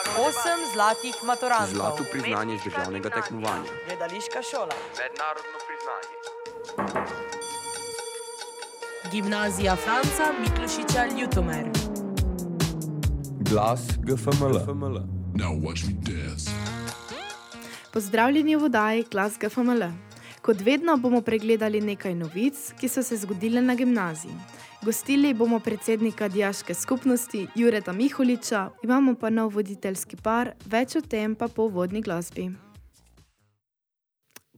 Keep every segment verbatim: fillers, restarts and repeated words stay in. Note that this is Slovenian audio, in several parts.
Osem zlatih maturantov. Zlato priznanje z državnega tekmovanja. Gledališka šola. Mednarodno priznanje. Gimnazija Franca Miklošiča Ljutomer. Glas G F M L. Now watch me dance. Pozdravljeni v oddaji Glas G F M L. Kot vedno bomo pregledali nekaj novic, ki so se zgodile na gimnaziji. Gostili bomo predsednika dijaške skupnosti Jureta Miholiča, imamo pa nov voditeljski par, več o tem pa po uvodni glasbi.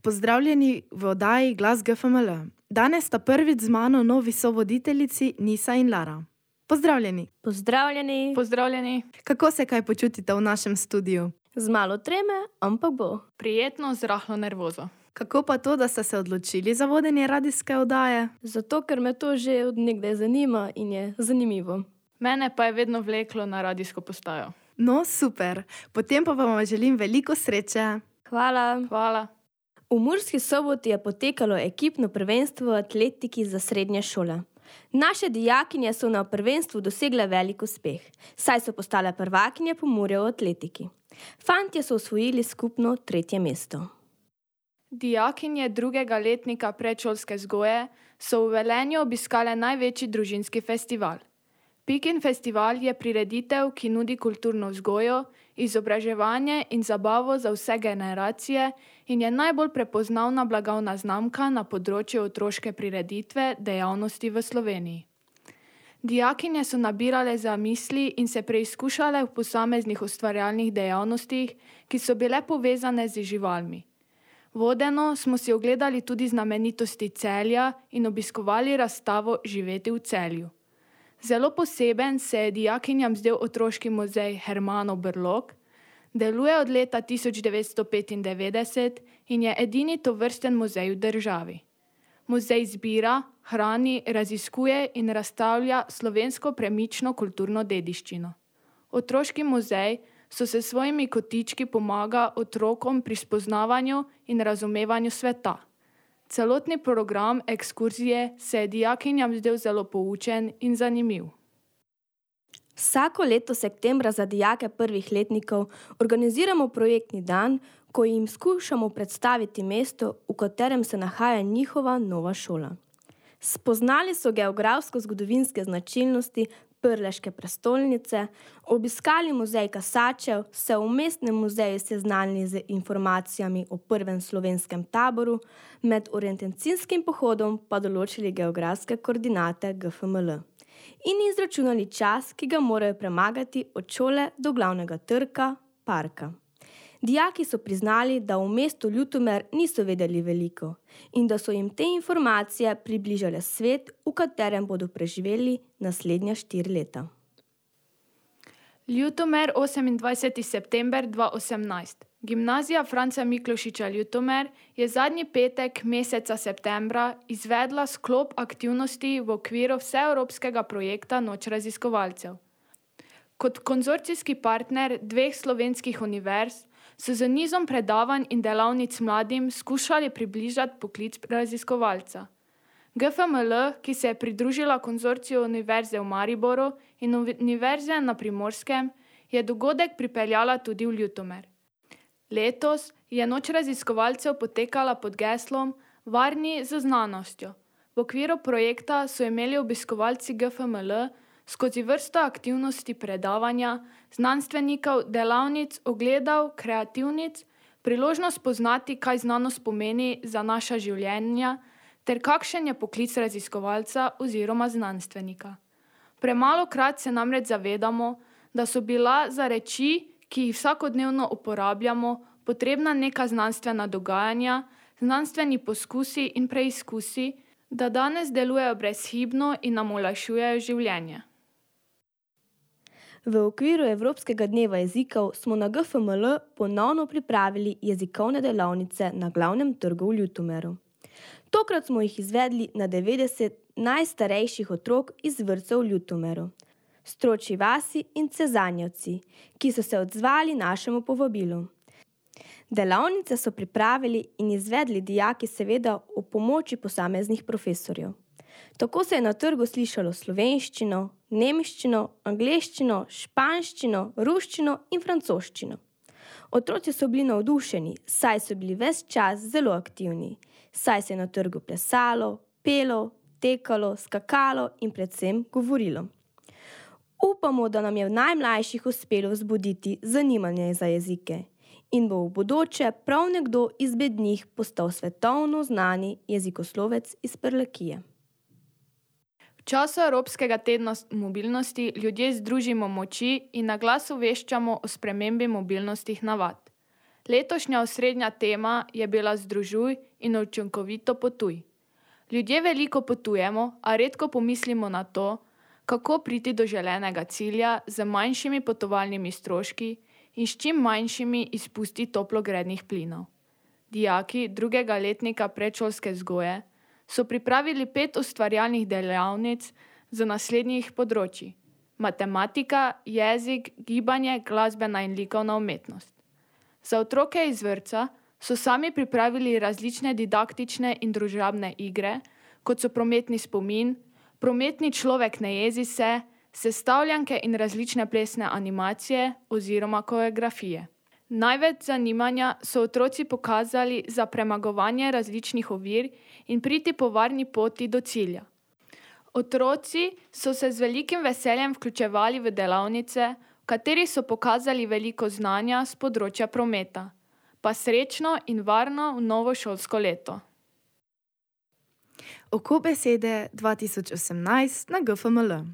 Pozdravljeni v oddaji Glas G F M L. Danes sta prvič z mano novi sovoditeljici Nisa in Lara. Pozdravljeni. Pozdravljeni. Pozdravljeni. Kako se kaj počutite v našem studiu? Z malo treme, ampak bo. Prijetno, z rahlo nervozo. Kako pa to, da ste se odločili za vodenje radijske oddaje? Zato, ker me to že od nekdaj zanima in je zanimivo. Mene pa je vedno vleklo na radijsko postajo. No, super. Potem pa vam želim veliko sreče. Hvala. Hvala. V Murski Soboti je potekalo ekipno prvenstvo v atletiki za srednje šole. Naše dijakinje so na prvenstvu dosegle velik uspeh, saj so postale prvakinje Pomurja v atletiki. Fantje so osvojili skupno tretje mesto. Dijakinje drugega letnika predšolske vzgoje so v Velenju obiskale največji družinski festival. Pikin festival je prireditev, ki nudi kulturno vzgojo, izobraževanje in zabavo za vse generacije in je najbolj prepoznavna blagovna znamka na področju otroške prireditve dejavnosti v Sloveniji. Dijakinje so nabirale zamisli in se preizkušale v posameznih ustvarjalnih dejavnostih, ki so bile povezane z živalmi. Vodeno smo si ogledali tudi znamenitosti Celja in obiskovali razstavo Živeti v Celju. Zelo poseben se je dijakinjam zdel otroški muzej Hermanov Brlog, deluje od leta tisoč devetsto petindevetdeset in je edini tovrsten muzej v državi. Muzej zbira, hrani, raziskuje in razstavlja slovensko premično kulturno dediščino. Otroški muzej so se svojimi kotički pomaga otrokom pri spoznavanju in razumevanju sveta. Celotni program ekskurzije se je dijakinjam zdel zelo poučen in zanimiv. Vsako leto septembra za dijake prvih letnikov organiziramo projektni dan, ko jim skušamo predstaviti mesto, v katerem se nahaja njihova nova šola. Spoznali so geografsko-zgodovinske značilnosti Prleške prestolnice, obiskali muzej Kasačev, se v mestnem muzeju seznanili z informacijami o prvem slovenskem taboru, med orientacijskim pohodom pa določili geografske koordinate G F M L in izračunali čas, ki ga morajo premagati od šole do glavnega trga, parka. Dijaki so priznali, da v mestu Ljutomer niso vedeli veliko in da so jim te informacije približale svet, v katerem bodo preživeli naslednja štiri leta. Ljutomer, osemindvajseti september dva tisoč osemnajst. Gimnazija Franca Miklošiča Ljutomer je zadnji petek meseca septembra izvedla sklop aktivnosti v okviru vseevropskega projekta Noč raziskovalcev. Kot konzorcijski partner dveh slovenskih univerz so z nizom predavanj in delavnic mladim skušali približati poklic raziskovalca. G F M L, ki se je pridružila konzorciju Univerze v Mariboru in Univerze na Primorskem, je dogodek pripeljala tudi v Ljutomer. Letos je Noč raziskovalcev potekala pod geslom Varni z znanostjo. V okviru projekta so imeli obiskovalci G F M L skozi vrsto aktivnosti predavanja, znanstvenikov, delavnic, ogledov, kreativnic, priložnost poznati, kaj znanost pomeni za naša življenja, ter kakšen je poklic raziskovalca oziroma znanstvenika. Premalokrat se namreč zavedamo, da so bila za reči, ki jih vsakodnevno uporabljamo, potrebna neka znanstvena dogajanja, znanstveni poskusi in preizkusi, da danes delujejo brezhibno in nam olajšujejo življenje. V okviru Evropskega dneva jezikov smo na G F M L ponovno pripravili jezikovne delavnice na glavnem trgu v Ljutomeru. Tokrat smo jih izvedli na devetdeset najstarejših otrok iz vrtcev v Ljutomeru, Stročji vasi in Cezanjevci, ki so se odzvali našemu povabilu. Delavnice so pripravili in izvedli dijaki seveda ob pomoči posameznih profesorjev. Tako se je na trgu slišalo slovenščino, nemščino, angleščino, španščino, ruščino in francoščino. Otroci so bili navdušeni, saj so bili ves čas zelo aktivni, saj se je na trgu plesalo, pelo, tekalo, skakalo in predvsem govorilo. Upamo, da nam je v najmlajših uspelo vzbuditi zanimanje za jezike in bo v bodoče prav nekdo izmed njih postal svetovno znani jezikoslovec iz Prlekije. V času Evropskega tedna mobilnosti ljudje združimo moči in na glas obveščamo o spremembi mobilnostnih navad. Letošnja osrednja tema je bila Združuj in učinkovito potuj. Ljudje veliko potujemo, a redko pomislimo na to, kako priti do želenega cilja z manjšimi potovalnimi stroški in s čim manjšimi izpusti toplogrednih plinov. Dijaki drugega letnika predšolske vzgoje so pripravili pet ustvarjalnih delavnic z naslednjih področji: matematika, jezik, gibanje, glasbena in likovna umetnost. Za otroke iz vrtca so sami pripravili različne didaktične in družabne igre, kot so prometni spomin, prometni človek ne jezi se, sestavljanke in različne plesne animacije oziroma koreografije. Največ zanimanja so otroci pokazali za premagovanje različnih ovir in priti po varni poti do cilja. Otroci so se z velikim veseljem vključevali v delavnice, v katerih so pokazali veliko znanja z področja prometa. Pa srečno in varno v novo šolsko leto. Oko besede dva tisoč osemnajst na G F M L.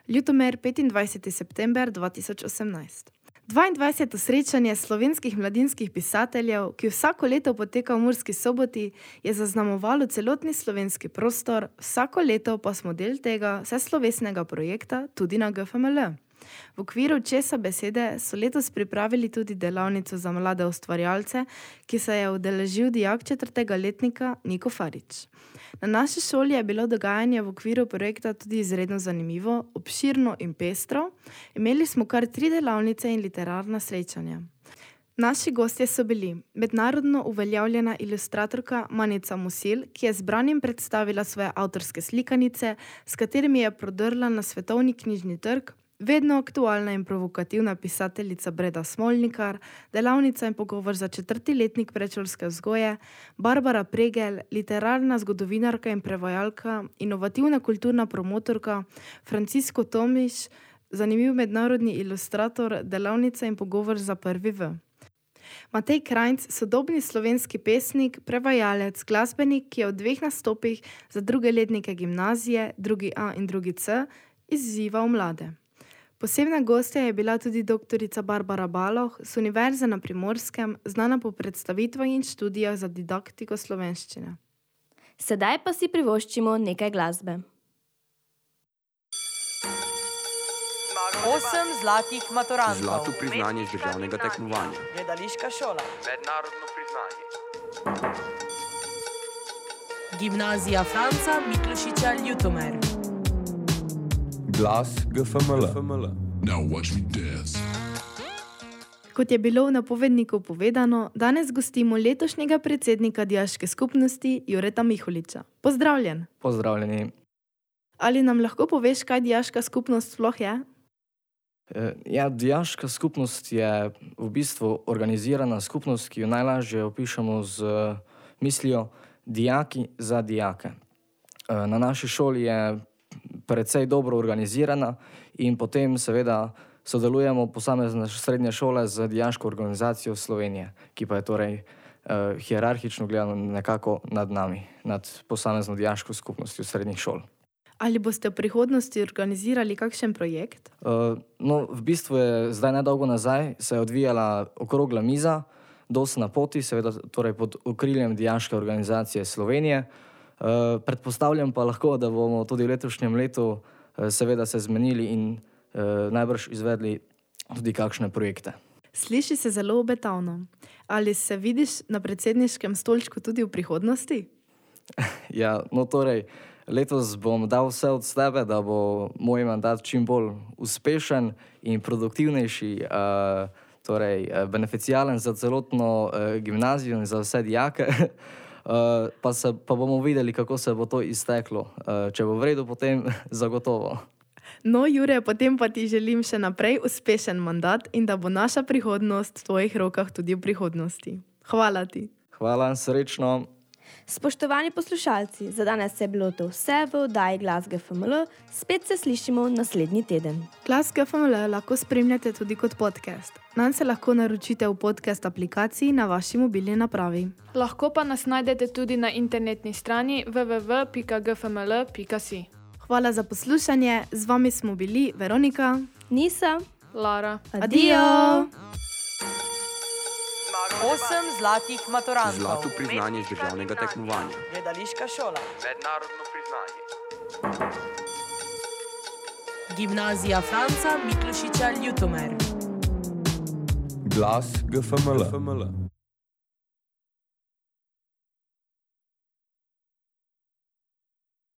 Ljutomer, petindvajseti september dva tisoč osemnajst. dvaindvajseto srečanje slovenskih mladinskih pisateljev, ki vsako leto poteka v Murski Soboti, je zaznamovalo celotni slovenski prostor, vsako leto pa smo del tega vseslovesnega projekta tudi na G F M L. V okviru Česa besede so letos pripravili tudi delavnico za mlade ustvarjalce, ki se je udeležil dijak četrtega letnika Niko Farič. Na naši šoli je bilo dogajanje v okviru projekta tudi izredno zanimivo, obširno in pestro. Imeli smo kar tri delavnice in literarna srečanja. Naši gostje so bili mednarodno uveljavljena ilustratorka Manica Musil, ki je zbranim predstavila svoje avtorske slikanice, s katerimi je prodrla na svetovni knjižni trg, vedno aktualna in provokativna pisateljica Breda Smolnikar, delavnica in pogovor za četrti letnik predšolske vzgoje, Barbara Pregel, literarna zgodovinarka in prevajalka, inovativna kulturna promotorka, Francisco Tomiš, zanimiv mednarodni ilustrator, delavnica in pogovor za prvi V. Matej Krajnc, sodobni slovenski pesnik, prevajalec, glasbenik, ki je v dveh nastopih za druge letnike gimnazije, drugi A in drugi C, izzival mlade. Posebna gostja je bila tudi doktorica Barbara Baloh z Univerze na Primorskem, znana po predstavitvah in študijah za didaktiko slovenščine. Sedaj pa si privoščimo nekaj glasbe. Osem zlatih maturantov. Zlato priznanje iz državnega tekmovanja. Gledališka šola. Mednarodno priznanje. Gimnazija Franca Miklošiča Ljutomer. Glas G F M L. Now watch me dance. Kot je bilo v napovedniku povedano, danes gostimo letošnjega predsednika dijaške skupnosti Jureta Miholiča. Pozdravljen! Pozdravljeni. Ali nam lahko poveš, kaj dijaška skupnost sploh je? Ja, dijaška skupnost je v bistvu organizirana skupnost, ki jo najlažje opišemo z mislijo dijaki za dijake. Na naši šoli je precej dobro organizirana in potem seveda sodelujemo posamezne srednje šole z dijaško organizacijo Slovenije, ki pa je torej uh, hierarhično gledano nekako nad nami, nad posamezno dijaško skupnostjo srednjih šol. Ali boste v prihodnosti organizirali kakšen projekt? Uh, no, v bistvu je zdaj nedolgo nazaj se je odvijala okrogla miza, Dos na poti, seveda torej pod okriljem dijaške organizacije Slovenije. Uh, predpostavljam pa lahko, da bomo tudi v letošnjem letu uh, seveda se zmenili in uh, najbrž izvedli tudi kakšne projekte. Sliši se zelo obetavno. Ali se vidiš na predsedniškem stolčku tudi v prihodnosti? Ja, no torej, letos bom dal vse od sebe, da bo moj mandat čim bolj uspešen in produktivnejši, uh, torej beneficialen za celotno uh, gimnazijo in za vse dijake. Uh, pa, se, pa bomo videli, kako se bo to izteklo. Uh, če bo v redu, potem zagotovo. No, Jure, potem pa ti želim še naprej uspešen mandat in da bo naša prihodnost v tvojih rokah tudi v prihodnosti. Hvala ti. Hvala, srečno. Spoštovani poslušalci, za danes je bilo to vse v oddaji Glas G F M L. Spet se slišimo naslednji teden. Glas G F M L lahko spremljate tudi kot podcast. Nanj se lahko naročite v podcast aplikaciji na vaši mobilni napravi. Lahko pa nas najdete tudi na internetni strani w w w pika g f m l pika si. Hvala za poslušanje, z vami smo bili Veronika, Nisa, Lara. Adijo! Osem zlatih maturantov. Zlato priznanje iz državnega tekmovanja. Gledališka šola. Mednarodno priznanje. Gimnazija Franca Miklošiča Ljutomer. Glas G F M L.